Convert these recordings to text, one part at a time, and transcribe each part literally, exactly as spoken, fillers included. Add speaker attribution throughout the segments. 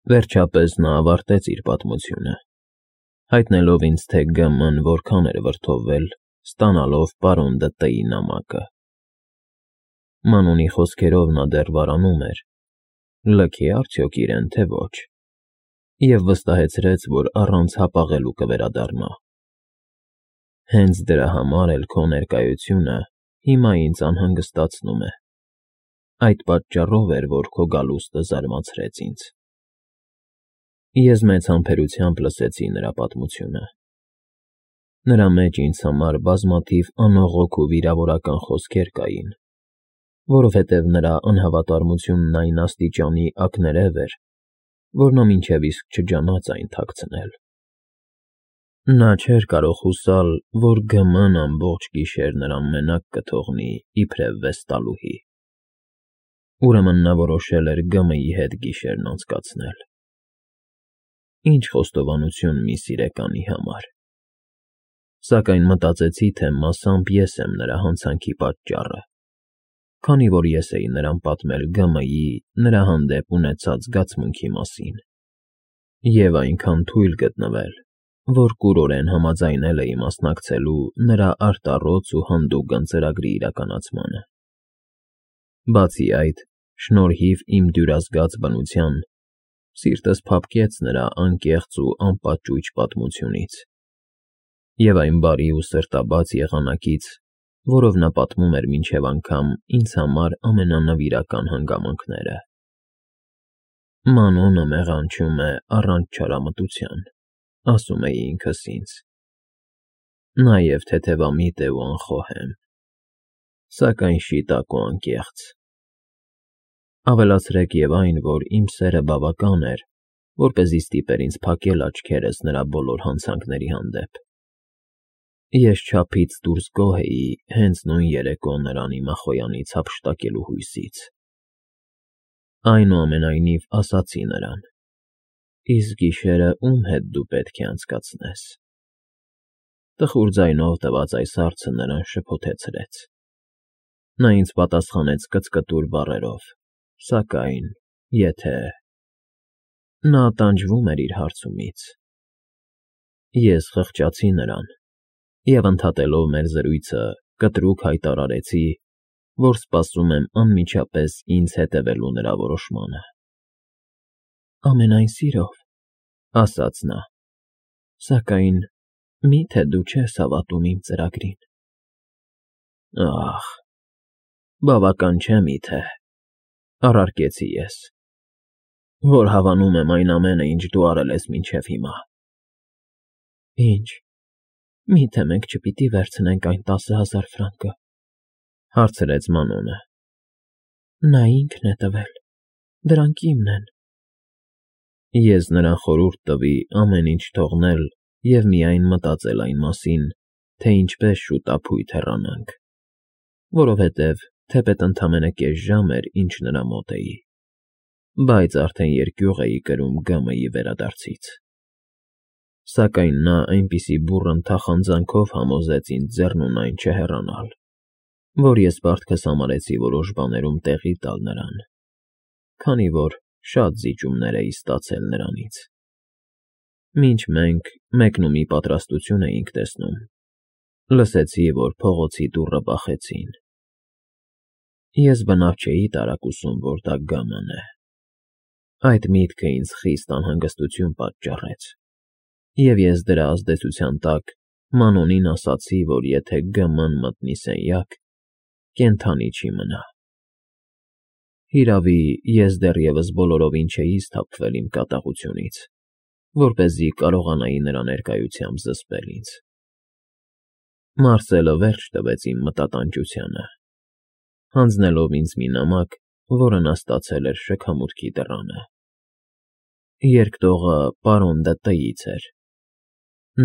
Speaker 1: Վերջապես նա ավարտեց իր պատմությունը, հայտնելով ինձ, թե Գ Մ-ն որքան էր վրդովվել, ստանալով պարոն Դը-ի նամակը։ Մանոնի խոսքերով նա դեռ վարանում էր, լքի արդյոք իրեն, թե ոչ, և վստահեցրեց, որ առանց հապաղելու կվերադառնա։ Հենց դրա համար էլ քո ներկայությունը հիմա ինձ անհանգստացնում է, այդ պատճառով էր, որ քո գալուստը զարմացրեց ինձ։ Ես մեծ համբերությամբ լսեցի նրա պատմությունը։ Նրա մեջ ինձ համար բազմաթիվ անողոք ու վիրավորական խոսքեր կային, որովհետև նրա անհավատարմությունն այն աստիճանի ակներև էր, որ նա մինչև իսկ չջանաց այն թաքցնել։ Նա չէր կարող հուսալ, որ Գ Մ-ն ամբողջ գիշեր նրան մենակ կթողնի իբրև վեստալուհի։ Ուրեմն նա որոշել էր Գ Մ-ի հետ գիշերն անցկացնել։ Ինչ խոստովանություն մի սիրեկանի համար։ Սակայն մտածեցի, թե մասամբ ես եմ նրա հանցանքի պատճառը, քանի որ ես էի նրան պատմել Գ Մ-ի նրա հանդեպ ունեցած զգացմունքի մասին, և այնքան թույլ գտնվել, որ կուրորեն համաձայնել էի մասնակցելու նրա արտառոց ու հանդուգն ծրագրի իրականացմանը։ Բացի այդ, շնորհիվ իմ դյուրազգաց բնության, սիրտս փափկեց նրա անկեղծ ու անպաճույճ պատմությունից և այն բարի ու սրտաբաց եղանակից, որով նա պատմում էր մինչև անգամ ինձ համար ամենանվիրական հանգամանքները։ Մանոնը մեղանչում է առանց չարամտության, ասում էի ինքս ինձ։ Նաև թեթևամիտ է ու անխոհեմ, սակայն շիտակ ու անկեղծ։ Ավելացրեք և այն, որ իմ սերը բավական էր, որպեսզի ստիպեր ինձ փակել աչքերս նրա բոլոր հանցանքների հանդեպ։ Ես չափից դուրս գոհ էի հենց նույն երեկո նրան իմ ախոյանից հափշտակելու հույսից։ Այնուամենայնիվ ասացի նրան. «Իսկ գիշերը ում հետ դու պետք է անցկացնես»։ Տխուր ձայնով տված այս հարցը նրան շփոթեցրեց։ Նա ինձ պատասխանեց կծկտուր բառերով, սակայն, եթե… Նա տանջվում էր իր հարցումից։ Ես խղճացի նրան և, ընդհատելով մեր զրույցը, կտրուկ հայտարարեցի, որ սպասում եմ անմիջապես ինձ հետևելու նրա որոշմանը։ «Ամենայն սիրով», ֊ ասաց նա, «սակայն մի՞թե դու չես հավատում իմ ծրագրին»։ Ահ, բավական չէ միթե, առարկեցի ես, որ հավանում եմ այն ամենը, ինչ դու արել ես մինչև հիմա։ Ինչ, մի՞թե մենք չպիտի վերցնենք այն տասը հազար ֆրանկը, ֊ հարցրեց Մանոնը։ Նա ինքն է տվել, դրանք իմն են։ Ես նրան խորհուրդ տվի ամեն ինչ թողնել և միայն մտածել այն մասին, թե ինչպես շուտափույթ հեռանանք, որովհետև թեպետ ընդամենը կես ժամ էր, ինչ նրա մոտ էի, բայց արդեն երկյուղ էի կրում Գ Մ-ի վերադարձից։ Սակայն նա այնպիսի բուռն թախանձանքով համոզեց ինձ ձեռնունայն չհեռանալ, որ ես պարտքս համարեցի որոշ բաներում տեղի տալ նրան, քանի որ շատ զիջումներ էի ստացել նրանից։ Մինչ մենք մեկնումի պատրաստություն էինք տեսնում, լսեցի, որ փողոցի դուռը բախեցին։ Ես բնավ չէի տարակուսում, որ դա Գ Մ-ն է։ Այդ միտքը ինձ խիստ անհանգստություն պատճառեց, և ես դրա ազդեցության տակ Մանոնին ասացի, որ եթե Գ Մ-ն մտնի սենյակ, կենդանի չի մնա։ Հիրավի, ես դեռևս բոլորովին չէի սթափվել իմ կատաղությունից, որպեսզի կարողանայի նրա ներկայությամբ զսպել ինձ։ Մարսելը վերջ տվեց իմ մտատանջությանը, հանձնելով ինձ մի նամակ, որը նա ստացել էր շքամուտքի դռանը։ Երկտողը պարոն Դը֊ից էր։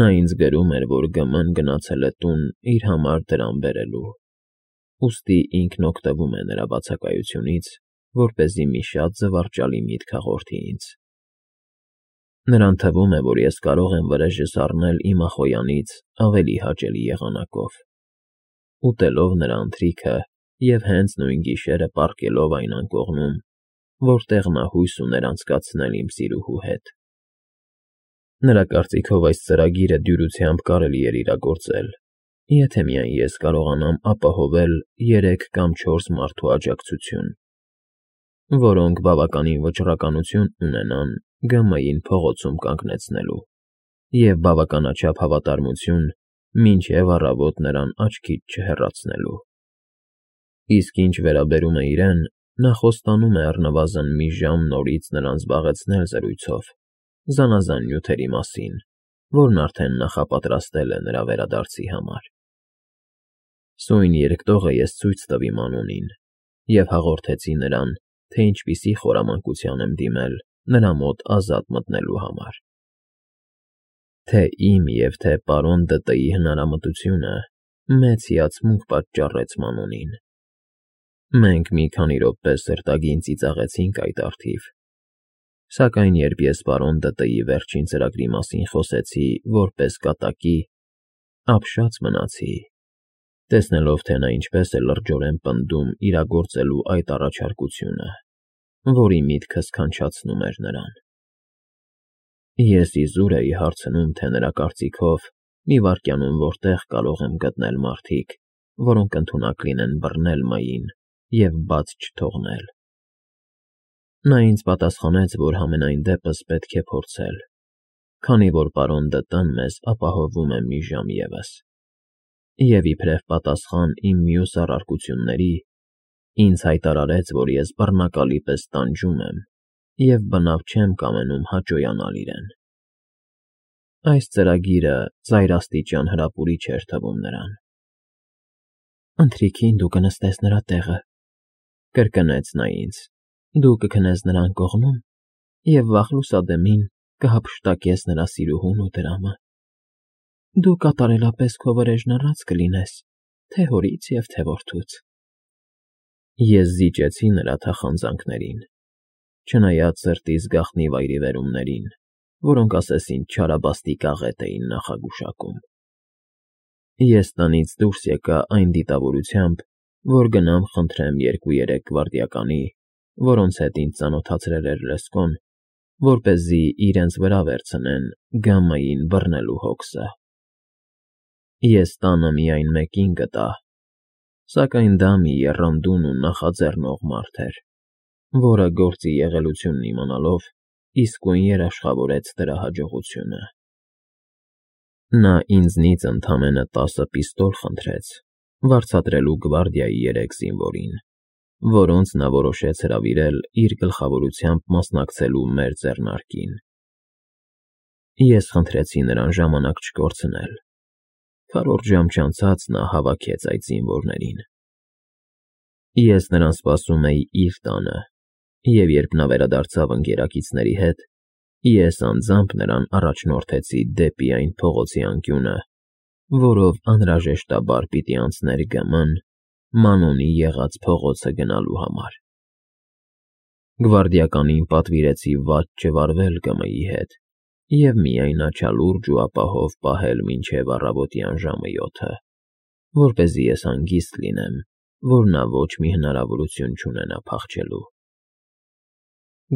Speaker 1: Նա ինձ գրում էր, որ Գ Մ-ն գնացել է տուն իր համար դրամ բերելու, ուստի ինքն օգտվում է նրա բացակայությունից, որպեսզի մի շատ զվարճալի միտք հաղորդի ինձ։ Նրան թվում է, որ ես կարող եմ վրեժս առնել իմ ախոյանից ավելի հաճելի եղանակով, ուտելով նրա ընթրիքը և հենց նույն գիշերը պառկելով այն անկողնում, որտեղ նա հույս ուներ անցկացնել իմ սիրուհու հետ։ Նրա կարծիքով այս ծրագիրը դյուրությամբ կարելի էր իրագործել, եթե միայն ես կարողանամ ապահովել երեք կամ չորս մարդու աջակցություն, որոնք բավականին վճռականություն ունենան Գ.Մ.-ին փողոցում կանգնեցնելու և բավականաչափ հավատարմություն, մինչև առավոտ նրան աչքից չհեռացնելու։ Իսկ ինչ վերաբերում է իրեն, նա խոստանում է առնվազն մի ժամ նորից նրան զբաղեցնել զրույցով զանազան նյութերի մասին, որն արդեն նախապատրաստել է նրա վերադարձի համար։ Սույն երկտողը ես ցույց տվի Մանոնին և հաղորդեցի նրան, թե ինչպիսի խորամանկության եմ դիմել նրա մոտ ազատ մտնելու համար։ Թե իմ և թե պարոն Դը.Տ.-ի հնարամտությունը մեծ հիացմունք պատճառեց Մանոնին։ Մենք մի քանի րոպե սրտագին ծիծաղեցինք այդ առթիվ, սակայն երբ ես պարոն Դը.Տ.-ի վերջին ծրագրի մասին խոսեցի որպես կատակի, ապշած մնացի, տեսնելով, թե նա ինչպես է լրջորեն պնդում իրագործելու այդ առաջարկությունը, որի միտքը սքանչացնում էր նրան։ Ես իզուր էի հարցնում, թե նրա կարծիքով մի վայրկյանում որտեղ կարող եմ գտնել մարդիկ, որոնք ընդունակ լինեն բռնել Մային և բաց չթողնել։ Նա ինձ պատասխանեց, որ համենայն դեպս պետք է փորձել, քանի որ պարոն Դը.Տ.-ն մեզ ապահովում է մի ժամ ևս, և իբրև պատասխան իմ մյուս առարկությունների, ինձ հայտարարեց, որ ես բռնակալի պես տանջում եմ և բնավ չեմ կամենում հաճոյանալ իրեն։ Այս ծրագիրը ծայրաստիճան հրապուրիչ էր թվում նրան։ «Ընթրիքին դու կնստես նրա տեղը,֊ կրկնեց նա ինձ,֊ դու կքնես նրա անկողնում և վաղ լուսադեմին կհափշտակես նրա սիրուհուն ու դրամը։ Դու կատարելապես քո վրեժն առած կլինես թե՛ հորից և թե՛ որդուց»։ Ես զիջեցի նրա թախանձանքներին, չնայած սրտիս գաղտնի վայրիվերումներին, որոնք ասես ինձ չարաբաստիկ աղետ էին նախագուշակում։ Ես տնից դուրս եկա այն դիտավորությամբ, որ գնամ խնդրեմ երկու֊երեք գվարդիականի, որոնց հետ ինձ ծանոթացրել էր Լեսկոն, որպեսզի իրենց վրա վերցնեն Գ.Մ.-ին բռնելու հոգսը։ Ես տանը միայն մեկին գտա, սակայն դա մի եռանդուն ու նախաձեռնող մարդ էր, որը գործի եղելությունն իմանալով իսկույն երաշխավորեց դրա հաջողությունը։ Նա ինձնից ընդամենը տասը պիստոլ խնդրեց, վարձատրելու գվարդիայի երեք զինվորին, որոնց նա որոշեց հրավիրել իր գլխավորությամբ մասնակցելու մեր ձեռնարկին։ Ես խնդրեցի նրան ժամանակ չկորցնել։ Քառորդ ժամ չանցած նա հավաքեց այդ զինվորներին։ Ես նրան սպասում էի իր տանը, և երբ նա վերադարձավ ընկերակիցների հետ, ես անձամբ նրան առաջնորդեցի դեպի այն փողոցի անկյունը, որով անհրաժեշտաբար պիտի անցներ Գ.Մ.-ն Մանոնի եղած փողոցը գնալու համար։ Գվարդիականին պատվիրեցի վատ չվարվել Գ.Մ.-ի հետ և միայն աչալուրջ ու ապահով պահել մինչև առավոտյան ժամը յոթը, որպեսզի ես հանգիստ լինեմ, որ նա ոչ մի հնարավորություն չունենա փախչելու։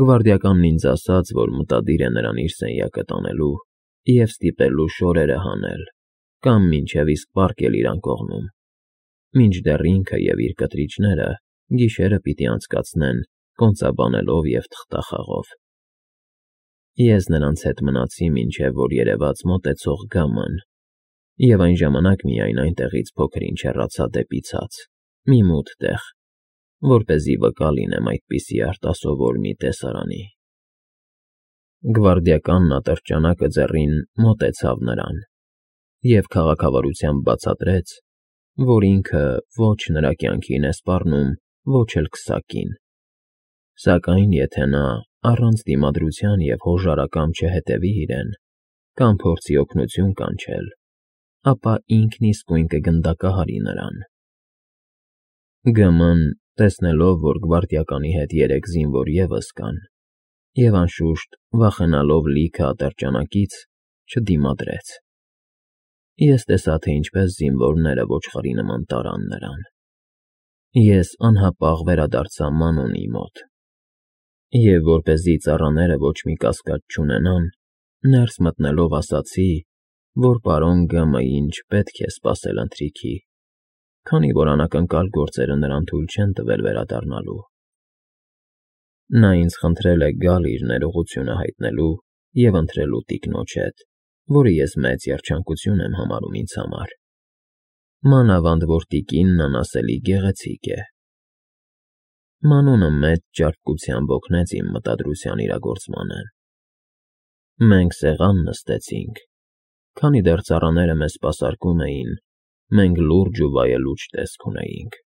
Speaker 1: Գվարդիականն ինձ ասաց, որ մտադիր է նրան իր սենյակը տանելու և ստիպելու շորերը հանել կամ մինչև իսկ պառկել իր անկողնում, մինչդեռ ինքը և իր կտրիչները գիշերը պիտի անցկացնեն կոնծաբանելով և թղթախաղով։ Ես նրանց հետ մնացի, մինչև որ երևաց մոտեցող Գ.Մ.-ն, և այն ժամանակ միայն այնտեղից փոքր֊ինչ հեռացա դեպի ցած, մի մութ տեղ, որպեսզի վկա լինեմ այդպիսի արտասովոր մի տեսարանի։ Գվարդիականն ատրճանակը ձեռին մոտեցավ նրան և քաղաքավարությամբ բացատրեց, որ ինքը ոչ նրա կյանքին է սպառնում, ոչ էլ քսակին, սակայն եթե նա առանց դիմադրության և հոժարակամ չհետևի իրեն կամ փորձի օգնություն կանչել, ապա ինքն իսկույն կգնդակահարի նրան։ Գ.Մ.-ն, տեսնելով, որ գվարդիականի հետ երեք զինվոր ևս կան, և, անշուշտ, վախենալով լիքը ատրճանակից, չդիմադրեց։ Ես տեսա, թե ինչպես զինվորները ոչխարի նման տարան նրան։ Ես անհապաղ վերադարձա Մանոնի մոտ։ Եվ որպեսզի ծառաները ոչ մի կասկած չունենան, ներս մտնելով ասացի, որ պարոն Գ.Մ.֊ին չպետք է սպասել ընթրիքի, քանի որ անակնկալ գործերը նրան թույլ չեն տվել վերադառնալու. նա ինձ խնդրել է գալ իր ներողությունը հայտնելու և ընտրելու տիկնոջ հետ, որը ես մեծ երջանկություն եմ համարում ինձ համար, մանավանդ որ տիկինն անասելի գեղեցիկ է։ Մանունը մեծ ճարպկությամբ օգնեց իմ մտադրության իրագործմանը։ Մենք սեղան նստեցինք. քանի դեռ ծառաները մեզ սպասարկում էին, մենք լուրջ ու վայելուչ տեսք ունեինք։